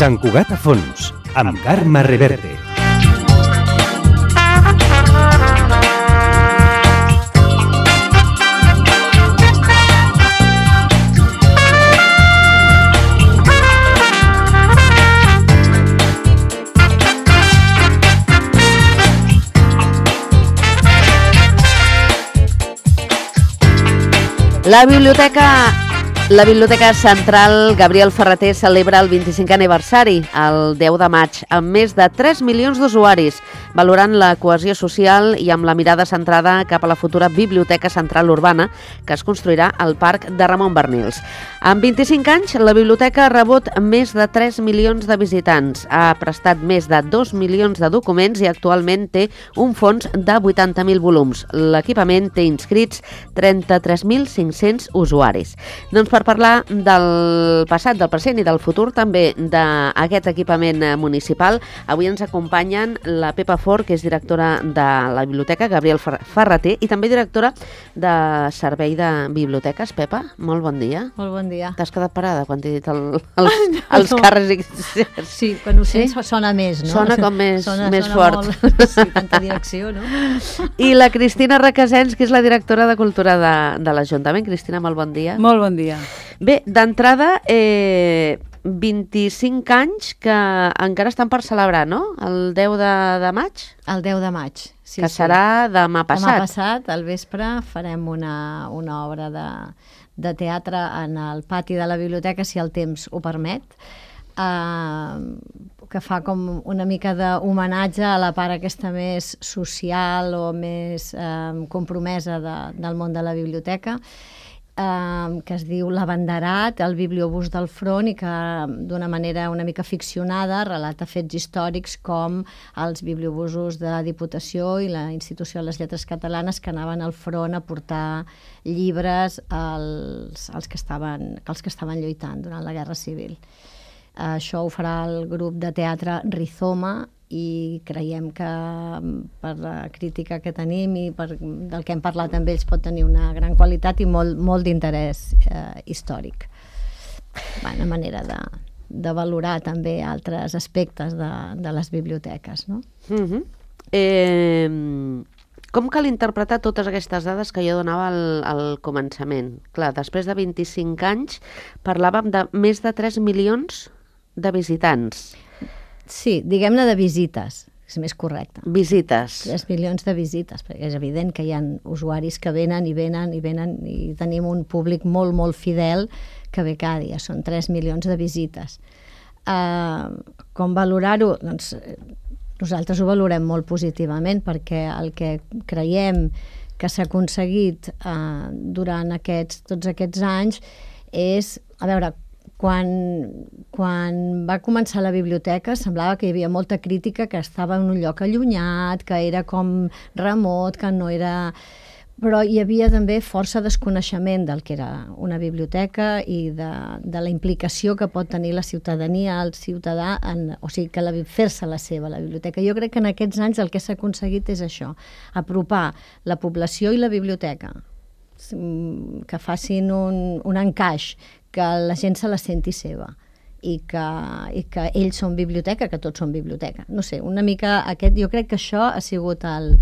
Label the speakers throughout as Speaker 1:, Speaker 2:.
Speaker 1: Sant Cugat a fons, amb Carme Reverte.
Speaker 2: La Biblioteca Central Gabriel Ferrater celebra el 25è aniversari, el 10 de maig, amb més de 3 milions d'usuaris, valorant la cohesió social i amb la mirada centrada cap a la futura Biblioteca Central Urbana, que es construirà al Parc de Ramon Bernils. En 25 anys, la biblioteca ha rebut més de 3 milions de visitants, ha prestat més de 2 milions de documents i actualment té un fons de 80.000 volums. L'equipament té inscrits 33.500 usuaris. Doncs per parlar del passat, del present i del futur també d'aquest equipament municipal, avui ens acompanyen la Pepa Fort, que és directora de la biblioteca, Gabriel Ferrater, i també directora de Servei de Biblioteques. Pepa, molt bon dia.
Speaker 3: Molt bon dia.
Speaker 2: T'has quedat parada quan t'he dit els càrrecs?
Speaker 3: Sí, quan ho sents sona més, no?
Speaker 2: Sona com més fort.
Speaker 3: Molt, sí, tanta direcció, no?
Speaker 2: I la Cristina Requesens, que és la directora de Cultura de l'Ajuntament. Cristina, molt bon dia.
Speaker 4: Molt bon dia.
Speaker 2: Bé, d'entrada, 25 anys que encara estan per celebrar, no? El 10 de maig?
Speaker 3: El 10 de maig, sí.
Speaker 2: Que serà demà passat.
Speaker 3: Demà passat, al vespre, farem una obra de teatre en el pati de la biblioteca, si el temps ho permet, que fa com una mica d'homenatge a la part aquesta més social o més compromesa del món de la biblioteca, que es diu L'Abanderat, el bibliobús del front, i que d'una manera una mica ficcionada relata fets històrics com els bibliobusos de la Diputació i la Institució de les Lletres Catalanes, que anaven al front a portar llibres als que estaven lluitant durant la Guerra Civil. Això ho farà el grup de teatre Rizoma, i creiem que per la crítica que tenim i del que hem parlat amb ells pot tenir una gran qualitat i molt d'interès històric. Una manera de valorar també altres aspectes de les biblioteques, no?
Speaker 2: Com cal interpretar totes aquestes dades que jo donava al començament? Clar, després de 25 anys parlàvem de més de 3 milions de visitants.
Speaker 3: Sí, diguem-ne de visites, és més correcte.
Speaker 2: Visites.
Speaker 3: 3 milions de visites, perquè és evident que hi ha usuaris que venen i tenim un públic molt, molt fidel que ve cada dia, són 3 milions de visites. Com valorar-ho? Doncs nosaltres ho valorem molt positivament, perquè el que creiem que s'ha aconseguit durant tots aquests anys és, a veure, quan va començar la biblioteca semblava que hi havia molta crítica, que estava en un lloc allunyat, que era com remot, que no era... Però hi havia també força desconeixement del que era una biblioteca i de la implicació que pot tenir la ciutadania, el ciutadà, o sigui, que fer-se la seva, la biblioteca. Jo crec que en aquests anys el que s'ha aconseguit és això, apropar la població i la biblioteca, que facin un encaix, que la gent se la senti seva i que ells són biblioteca, que tots són biblioteca. No sé, una mica jo crec que això ha sigut el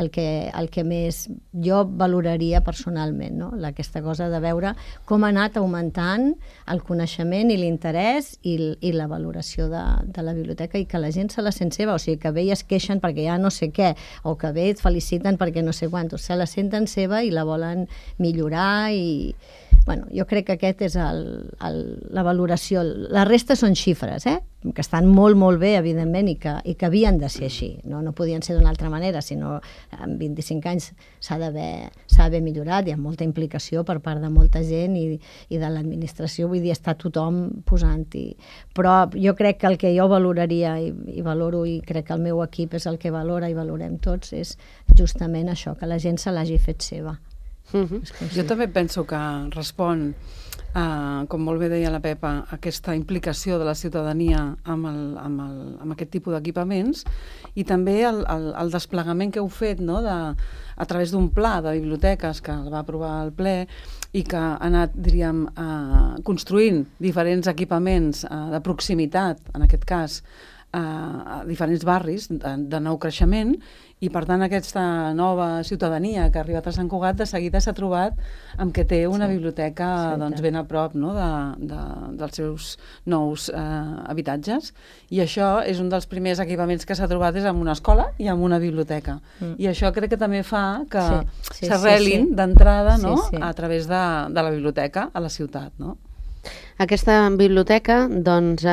Speaker 3: que més jo valoraria personalment, no? Aquesta cosa de veure com ha anat augmentant el coneixement i l'interès i la valoració de la biblioteca, i que la gent se la sent seva, o sigui, que ve i es queixen perquè ja no sé què, o que ve i et feliciten perquè no sé quant, se la senten seva i la volen millorar, i Bueno, jo crec que aquest és la valoració. La resta són xifres, que estan molt, molt bé, evidentment, i que havien de ser així. No podien ser d'una altra manera, sinó en 25 anys s'ha d'haver millorat, hi ha molta implicació per part de molta gent i de l'administració, vull dir, està tothom posant-hi. Però jo crec que el que jo valoraria i valoro, i crec que el meu equip és el que valora i valorem tots, és justament això, que la gent se l'hagi fet seva.
Speaker 4: Jo també penso que respon, com molt bé deia la Pepa, aquesta implicació de la ciutadania amb aquest tipus d'equipaments i també el desplegament que heu fet, no? A través d'un pla de biblioteques que el va aprovar el ple i que ha anat, diríem, construint diferents equipaments de proximitat, en aquest cas, a diferents barris de nou creixement, i per tant aquesta nova ciutadania que ha arribat a Sant Cugat de seguida s'ha trobat amb que té una biblioteca ben a prop, no? dels seus nous habitatges, i això és un dels primers equipaments que s'ha trobat, és amb una escola i amb una biblioteca, i això crec que també fa que s'arrelin d'entrada, no? A través de la biblioteca a la ciutat, no?
Speaker 2: Aquesta biblioteca, doncs,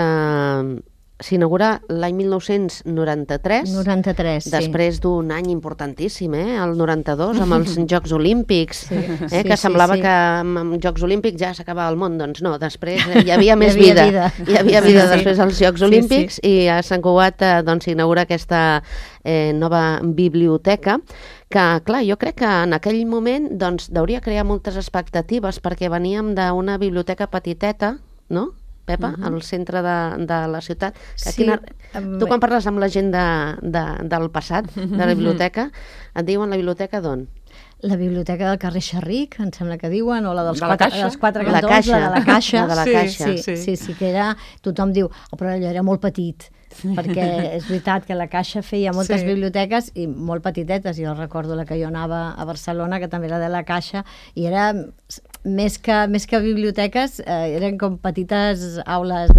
Speaker 2: s'inaugura l'any 1993.
Speaker 3: 93, sí.
Speaker 2: Després d'un any importantíssim, el 92, amb els Jocs Olímpics, que semblava que amb Jocs Olímpics ja s'acabava el món. Doncs no, després hi havia més vida. Hi havia vida després dels Jocs Olímpics, i a Sant Cugat s'inaugura aquesta nova biblioteca, que, clar, jo crec que en aquell moment deuria crear moltes expectatives, perquè veníem d'una biblioteca petiteta, no?, Pepa, al centre de la ciutat. Tu quan parles amb la gent del passat, de la biblioteca, et diuen la biblioteca d'on?
Speaker 3: La biblioteca del carrer Xerric, em sembla que diuen, o la dels quatre
Speaker 2: cantons,
Speaker 3: la de la Caixa.
Speaker 2: La de la Caixa.
Speaker 3: Sí, que era, tothom diu, però allò era molt petit, perquè és veritat que la Caixa feia moltes biblioteques i molt petitetes. Jo recordo la que jo anava a Barcelona, que també era de la Caixa, i era més que biblioteques, eren com petites aules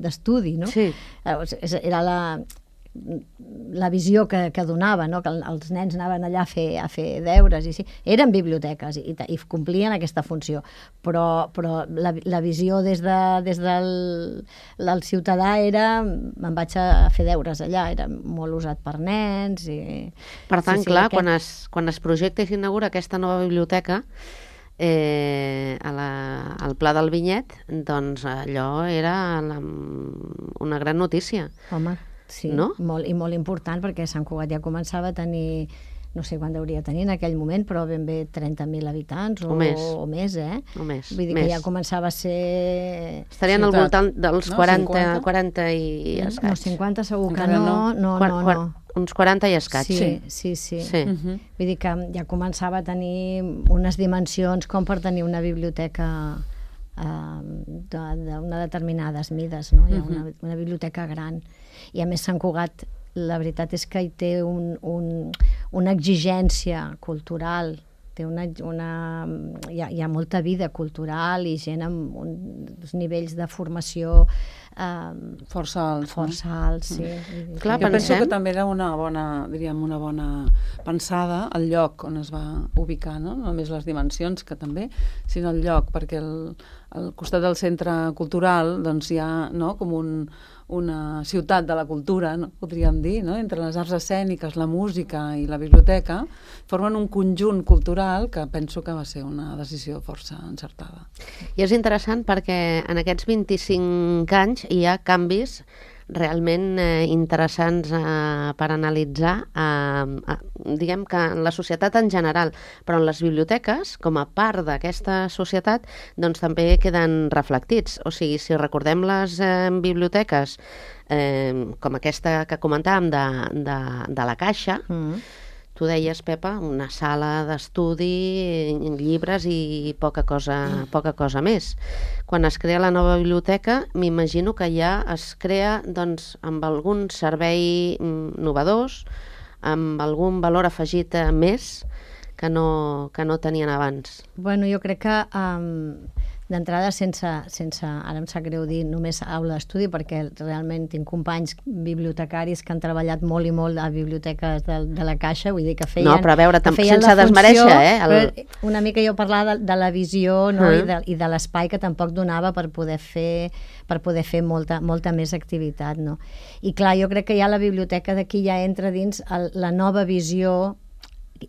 Speaker 3: d'estudi, no?
Speaker 2: Sí.
Speaker 3: Era la visió que donava, no? Que els nens anaven allà a fer deures, i sí, eren biblioteques i complien aquesta funció, però la visió des del ciutadà era, me'n vaig a fer deures allà, era molt usat per nens.
Speaker 2: Per tant, clar, quan es projecta i s'inaugura aquesta nova biblioteca, al Pla del Vinyet, doncs allò era una gran notícia.
Speaker 3: Home, sí, no? Molt important, perquè Sant Cugat ja començava a tenir, no sé quan hauria de tenir en aquell moment, però ben bé 30.000 habitants o més,
Speaker 2: O més.
Speaker 3: Vull dir que ja començava a ser...
Speaker 2: Estarien al voltant dels 40 i escaig.
Speaker 3: No, 50 segur que no.
Speaker 2: Uns 40 i escaig.
Speaker 3: Sí. Vull dir que ja començava a tenir unes dimensions com per tenir una biblioteca d'una determinades mides, no? Hi ha una biblioteca gran. I a més Sant Cugat, la veritat és que hi té una exigència cultural, hi ha molta vida cultural i gent amb uns nivells de formació
Speaker 4: força alts,
Speaker 3: sí.
Speaker 4: Clar, jo penso que també era una bona pensada el lloc on es va ubicar, no només les dimensions, que també, sinó el lloc, perquè al costat del centre cultural doncs hi ha, no, com una ciutat de la cultura, no? Podríem dir, no? Entre les arts escèniques, la música i la biblioteca, formen un conjunt cultural que penso que va ser una decisió força encertada.
Speaker 2: I és interessant perquè en aquests 25 anys hi ha canvis realment interessants per analitzar, diguem que en la societat en general, però en les biblioteques, com a part d'aquesta societat, doncs també queden reflectits. O sigui, si recordem les biblioteques, com aquesta que comentàvem de la Caixa, tu deies, Pepa, una sala d'estudi, llibres i poca cosa més. Quan es crea la nova biblioteca, m'imagino que ja es crea doncs, amb algun servei innovadors, amb algun valor afegit més que no tenien abans.
Speaker 3: Bueno, jo crec que d'entrada sense, ara em sap greu dir només aula d'estudi, perquè realment tinc companys bibliotecaris que han treballat molt i molt a biblioteques de la Caixa, vull dir que feien...
Speaker 2: No, però a veure, sense desmereixer,
Speaker 3: Una mica jo parlava de la visió, no? I de l'espai que tampoc donava per poder fer molta més activitat, no? I clar, jo crec que ja la biblioteca d'aquí ja entra dins la nova visió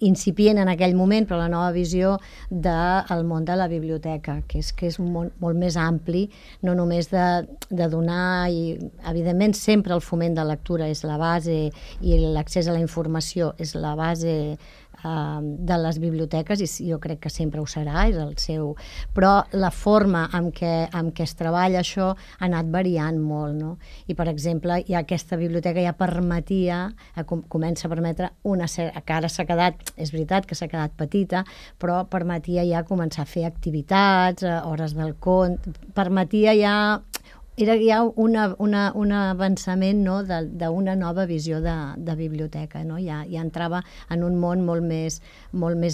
Speaker 3: incipient en aquell moment, però la nova visió del món de la biblioteca, que és un món molt més ampli, no només de donar, i evidentment sempre el foment de lectura és la base i l'accés a la informació és la base de les biblioteques, i jo crec que sempre ho serà, és el seu... Però la forma en què es treballa això ha anat variant molt, no? I, per exemple, ja aquesta biblioteca ja permetia, comença a permetre que ara s'ha quedat, és veritat que s'ha quedat petita, però permetia ja començar a fer activitats, hores del conte, permetia ja... Era ja un avançament, no, d'una nova visió de biblioteca, no? Ja entrava en un món molt més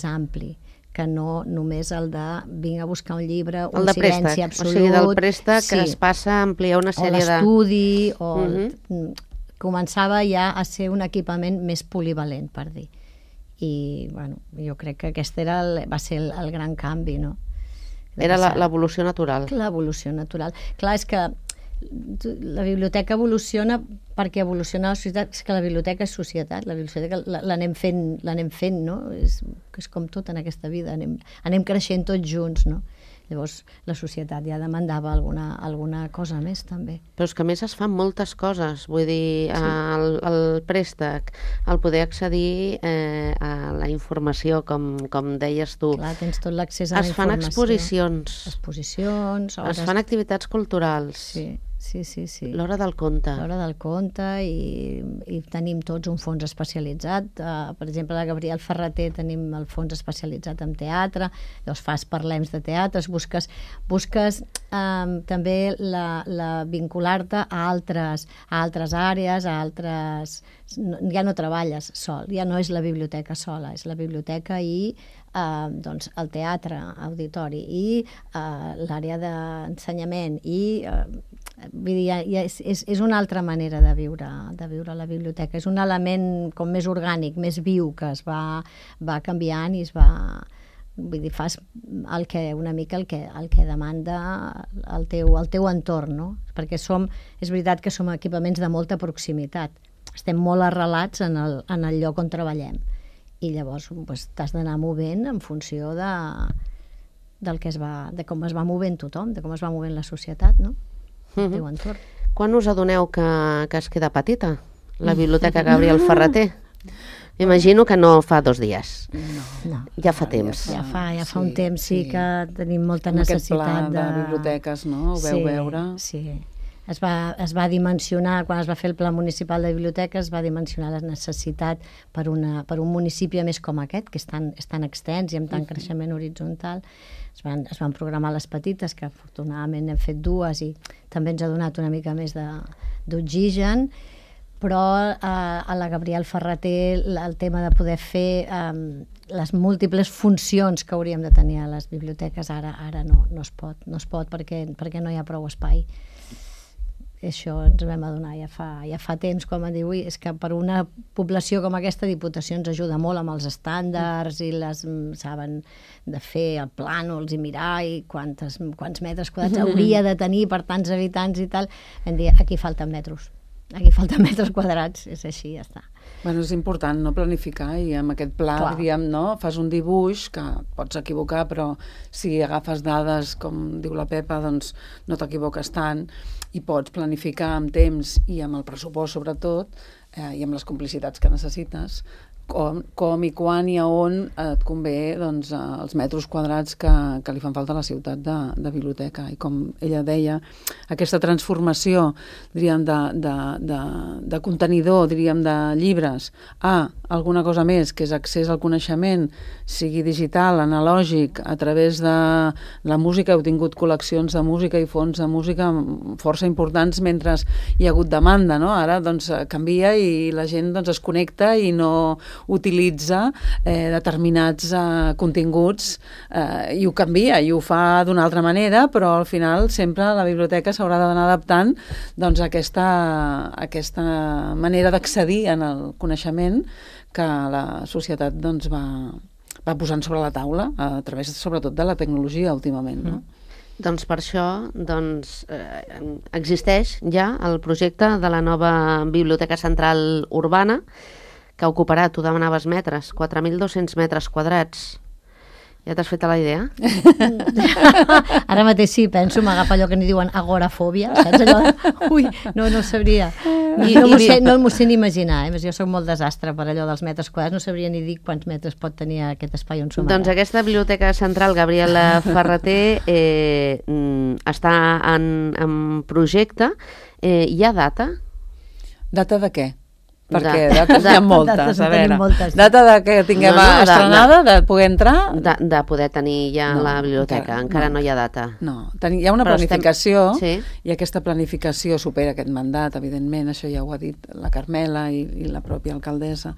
Speaker 3: ampli, que no només el de vinc a buscar un llibre, un silenci absolut.
Speaker 2: O sigui, del préstec que es passa a ampliar una sèrie de...
Speaker 3: O l'estudi, començava ja a ser un equipament més polivalent, per dir. I, bueno, jo crec que aquest va ser el gran canvi, no?
Speaker 2: Era l'evolució natural.
Speaker 3: L'evolució natural. Clar, és que la biblioteca evoluciona perquè evoluciona la societat, és que la biblioteca és societat, la biblioteca l'anem fent, no? És com tot en aquesta vida, anem creixent tots junts, no? Llavors la societat ja demandava alguna cosa més també.
Speaker 2: Però és que a més es fan moltes coses, vull dir, el préstec, el poder accedir a la informació, com deies tu.
Speaker 3: Clar, tens tot l'accés a la informació.
Speaker 2: Es fan exposicions,
Speaker 3: es
Speaker 2: fan activitats culturals.
Speaker 3: Sí.
Speaker 2: L'hora del conte.
Speaker 3: L'hora del conte, i tenim tots un fons especialitzat. Per exemple, a la Gabriel Ferrater tenim el fons especialitzat en teatre, llavors fas parlems de teatres, busques també vincular-te a altres àrees, ja no treballes sol, ja no és la biblioteca sola, és la biblioteca i el teatre, auditori i l'àrea d'ensenyament i vull dir, és una altra manera de viure la biblioteca, és un element com més orgànic, més viu, que es va canviant i es va... Vull dir, fas una mica el que demanda el teu entorn, no? Perquè és veritat que som equipaments de molta proximitat, estem molt arrelats en el lloc on treballem, i llavors t'has d'anar movent en funció de com es va movent tothom, de com es va movent la societat, no? El teu entorn.
Speaker 2: Quan us adoneu que es queda petita la Biblioteca Gabriel Ferrater? M'imagino que no fa 2 dies.
Speaker 3: No.
Speaker 2: Ja fa temps.
Speaker 3: Ja fa un temps, sí, que tenim molta necessitat
Speaker 4: aquest pla de biblioteques, no? Ho veu veure?
Speaker 3: Sí. Es va dimensionar, quan es va fer el Pla Municipal de Biblioteques, es va dimensionar la necessitat per un municipi a més com aquest, que és tan extens i amb tant creixement horitzontal. Es van programar les petites, que afortunadament n'hem fet 2 i també ens ha donat una mica més d'oxigen, però a la Gabriel Ferrater el tema de poder fer les múltiples funcions que hauríem de tenir a les biblioteques ara no es pot perquè no hi ha prou espai. Això ens vam adonar ja fa temps, com a dir, és que per una població com aquesta, Diputació ens ajuda molt amb els estàndards i saben de fer el plànols i mirar i quants metres quadrats hauria de tenir per tants habitants i tal. Vam dir, aquí falten metres quadrats, és així, ja està.
Speaker 4: Bueno, és important no planificar i amb aquest pla, diríem, no? Fas un dibuix que pots equivocar, però si agafes dades, com diu la Pepa, doncs no t'equivoques tant i pots planificar amb temps i amb el pressupost, sobretot, i amb les complicitats que necessites, com i quan i a on et convé doncs, els metres quadrats que li fan falta a la ciutat de biblioteca. I com ella deia, aquesta transformació, diríem, de contenidor, diríem, de llibres a alguna cosa més, que és accés al coneixement, sigui digital, analògic, a través de la música. Heu tingut col·leccions de música i fons de música força importants mentre hi ha hagut demanda, no? Ara doncs canvia i la gent doncs, es connecta i no... utilitza determinats continguts i ho canvia, i ho fa d'una altra manera, però al final sempre la biblioteca s'haurà d'anar adaptant doncs, a aquesta manera d'accedir en el coneixement que la societat doncs, va posant sobre la taula a través sobretot de la tecnologia últimament, no?
Speaker 2: Doncs per això existeix ja el projecte de la nova Biblioteca Central Urbana, que ocuparà, tu demanaves metres, 4.200 metres quadrats. Ja t'has fet a la idea?
Speaker 3: Ara mateix sí, penso, m'agafa allò que n'hi diuen agorafòbia, saps allò de... Ui, no sabria. No m'ho sé ni imaginar, jo soc molt desastre per allò dels metres quadrats, no sabria ni dir quants metres pot tenir aquest espai on som ara.
Speaker 2: Doncs aquesta Biblioteca Central Gabriel Ferrater està en projecte. Hi ha data?
Speaker 4: Data de què? Perquè dates hi ha moltes, a veure. Data de que tinguem estrenada, de poder entrar?
Speaker 2: De poder tenir ja la biblioteca, encara no hi ha data.
Speaker 4: No, hi ha una planificació i aquesta planificació supera aquest mandat, evidentment, això ja ho ha dit la Carmela i la pròpia alcaldessa.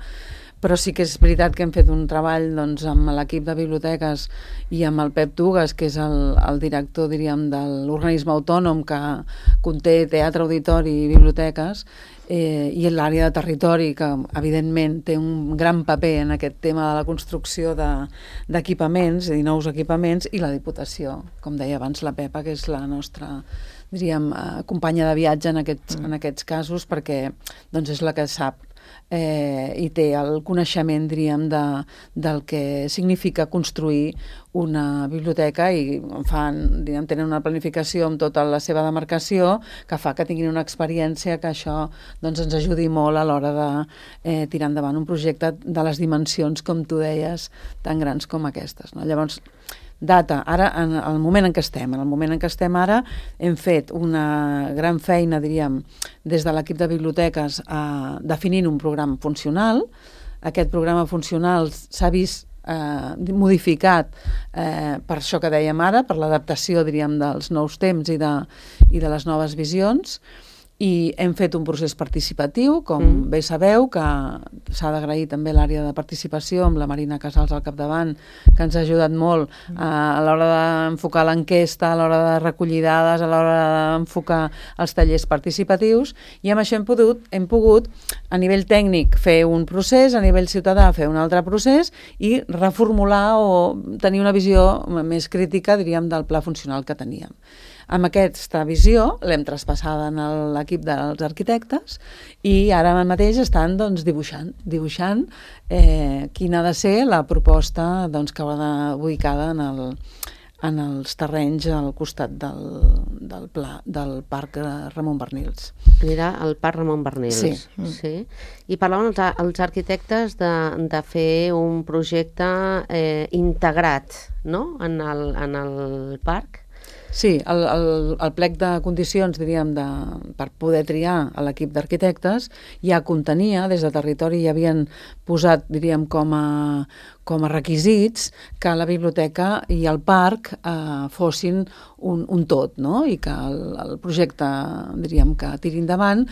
Speaker 4: Però sí que és veritat que hem fet un treball doncs, amb l'equip de biblioteques i amb el Pep Tugues, que és el director, diríem, de l'organisme autònom que conté teatre, auditori i biblioteques, i l'àrea de territori, que evidentment té un gran paper en aquest tema de la construcció d'equipaments, i nous equipaments, i la Diputació, com deia abans la Pepa, que és la nostra, diríem, companya de viatge en aquests casos, perquè doncs, és la que sap i té el coneixement, diríem, del que significa construir una biblioteca, i tenen una planificació amb tota la seva demarcació que fa que tinguin una experiència que això doncs, ens ajudi molt a l'hora de tirar endavant un projecte de les dimensions, com tu deies, tan grans com aquestes, no? Llavors, data, ara, en el moment en què estem ara, hem fet una gran feina, diríem, des de l'equip de biblioteques definint un programa funcional. Aquest programa funcional s'ha vist modificat per això que dèiem ara, per l'adaptació, diríem, dels nous temps i de les noves visions, i hem fet un procés participatiu, com bé sabeu, que s'ha d'agrair també l'àrea de participació amb la Marina Casals al capdavant, que ens ha ajudat molt a l'hora d'enfocar l'enquesta, a l'hora de recollir dades, a l'hora d'enfocar els tallers participatius, i amb això hem pogut a nivell tècnic fer un procés, a nivell ciutadà fer un altre procés i reformular o tenir una visió més crítica, diríem, del pla funcional que teníem. Amb aquesta visió l'hem traspassada en l'equip dels arquitectes i ara mateix estan doncs, dibuixant quina ha de ser la proposta doncs, que haurà d'anar ubicada en els terrenys al costat del Parc Ramon Bernils.
Speaker 2: Mira, el Parc Ramon Bernils. Sí. I parlaven els arquitectes de fer un projecte integrat, no?, en el parc.
Speaker 4: Sí, el plec de condicions, diríem, per poder triar a l'equip d'arquitectes ja contenia, des de territori ja havien posat, diríem, com a requisits que la biblioteca i el parc fossin un tot, no? I que el projecte, diríem, que tiri endavant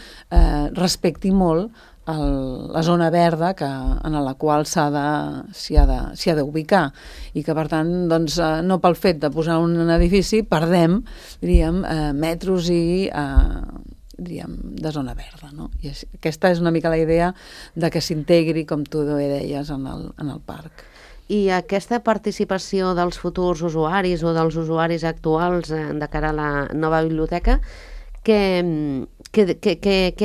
Speaker 4: respecti molt la zona verda en la qual s'hi ha d'ubicar, i que per tant doncs, no pel fet de posar un edifici perdem, diríem, metros de zona verda, no? I aquesta és una mica la idea de que s'integri, com tu deies, en el parc.
Speaker 2: I aquesta participació dels futurs usuaris o dels usuaris actuals de cara a la nova biblioteca, què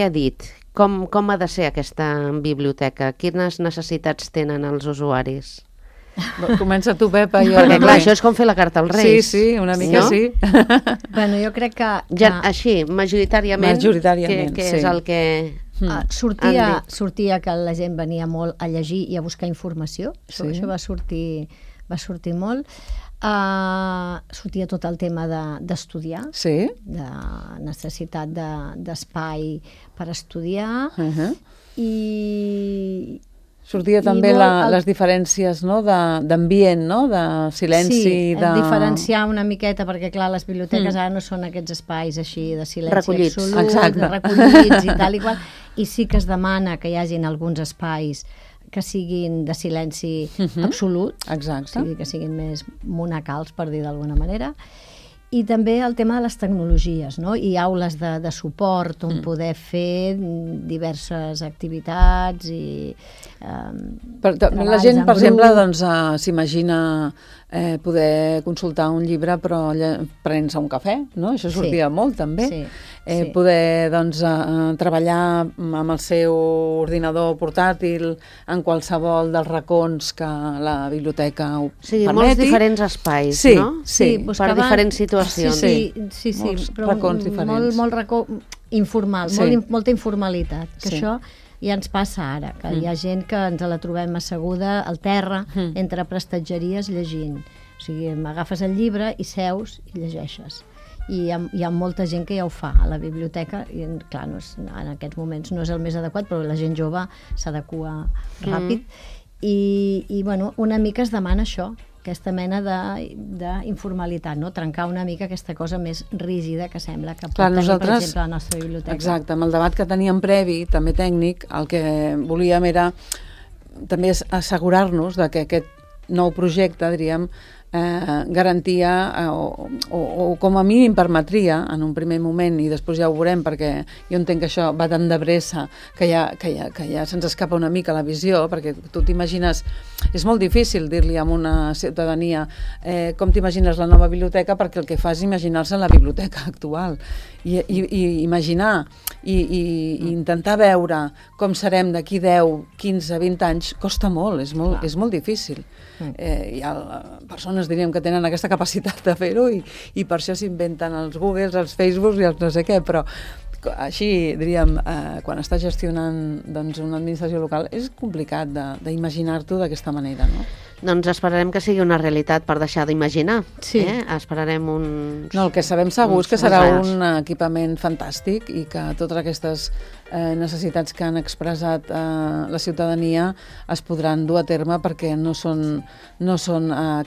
Speaker 2: ha dit? Com ha de ser aquesta biblioteca? Quines necessitats tenen els usuaris?
Speaker 4: Comença tu, Pepa.
Speaker 2: Perquè clar, això és com fer la carta als Reis.
Speaker 4: Sí, una mica no? Sí.
Speaker 3: Bueno, jo crec que...
Speaker 2: Així, majoritàriament, què és el que...
Speaker 3: Sortia que la gent venia molt a llegir i a buscar informació. Això va sortir molt. Sortia tot el tema d'estudiar, de necessitat d'espai per estudiar, i
Speaker 4: sortia també les diferències, no? D'ambient, no? De silenci.
Speaker 3: Sí, diferenciar una miqueta, perquè clar, les biblioteques ara no són aquests espais així de silenci absolut, recollits i tal i qual, i sí que es demana que hi hagin alguns espais que siguin de silenci absolut,
Speaker 4: Exacte.
Speaker 3: o sigui, que siguin més monacals, per dir d'alguna manera. I també el tema de les tecnologies, no? I aules de suport on poder fer diverses activitats i...
Speaker 4: La gent, per exemple, doncs, s'imagina poder consultar un llibre però prenent-se un cafè, no? Això sortia molt, també.
Speaker 3: Sí.
Speaker 4: Poder doncs, treballar amb el seu ordinador portàtil en qualsevol dels racons que la biblioteca ho permeti.
Speaker 2: Molts diferents espais, no?
Speaker 3: Sí,
Speaker 2: per diferents situacions.
Speaker 3: Sí, però
Speaker 4: racons diferents.
Speaker 3: Molt racó informal, molta informalitat, que això ja ens passa ara, que hi ha gent que ens la trobem asseguda al terra, entre prestatgeries, llegint. O sigui, agafes el llibre i seus i llegeixes. I hi ha molta gent que ja ho fa a la biblioteca i, clar, en aquests moments no és el més adequat, però la gent jove s'adequa ràpid. I bueno, una mica es demana això, aquesta mena d'informalitat, no? Trencar una mica aquesta cosa més rígida que sembla que pot tenir, per exemple, la nostra biblioteca.
Speaker 4: Exacte, amb el debat que teníem previ, també tècnic, el que volíem era també assegurar-nos que aquest nou projecte, diríem, garantia o com a mínim permetria en un primer moment, i després ja ho veurem perquè jo entenc que això va tan de pressa que ja se'ns escapa una mica la visió, perquè tu t'imagines, és molt difícil dir-li a una ciutadania com t'imagines la nova biblioteca, perquè el que fa és imaginar-se la biblioteca actual i imaginar i intentar veure com serem d'aquí 10, 15, 20 anys costa molt, és molt difícil. Hi ha persones, diríem, que tenen aquesta capacitat de fer-ho i per això s'inventen els Googles, els Facebooks i els no sé què, però així, diríem, quan estàs gestionant doncs, una administració local és complicat d'imaginar-t'ho d'aquesta manera, no?
Speaker 2: Doncs esperarem que sigui una realitat per deixar d'imaginar. Esperarem uns...
Speaker 4: No, el que sabem segur és que serà un equipament fantàstic i que totes aquestes necessitats que han expressat la ciutadania es podran dur a terme perquè no són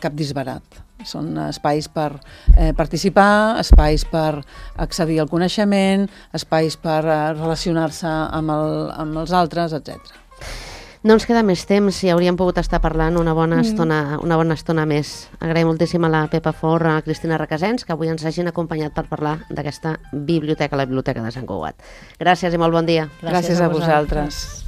Speaker 4: cap disbarat. Són espais per participar, espais per accedir al coneixement, espais per relacionar-se amb els altres, etc.
Speaker 2: No ens queda més temps i hauríem pogut estar parlant una bona estona més. Agraïm moltíssim a la Pepa Fort, a la Cristina Requesens, que avui ens hagin acompanyat per parlar d'aquesta biblioteca, la Biblioteca de Sant Cugat. Gràcies i molt bon dia.
Speaker 4: Gràcies a vosaltres.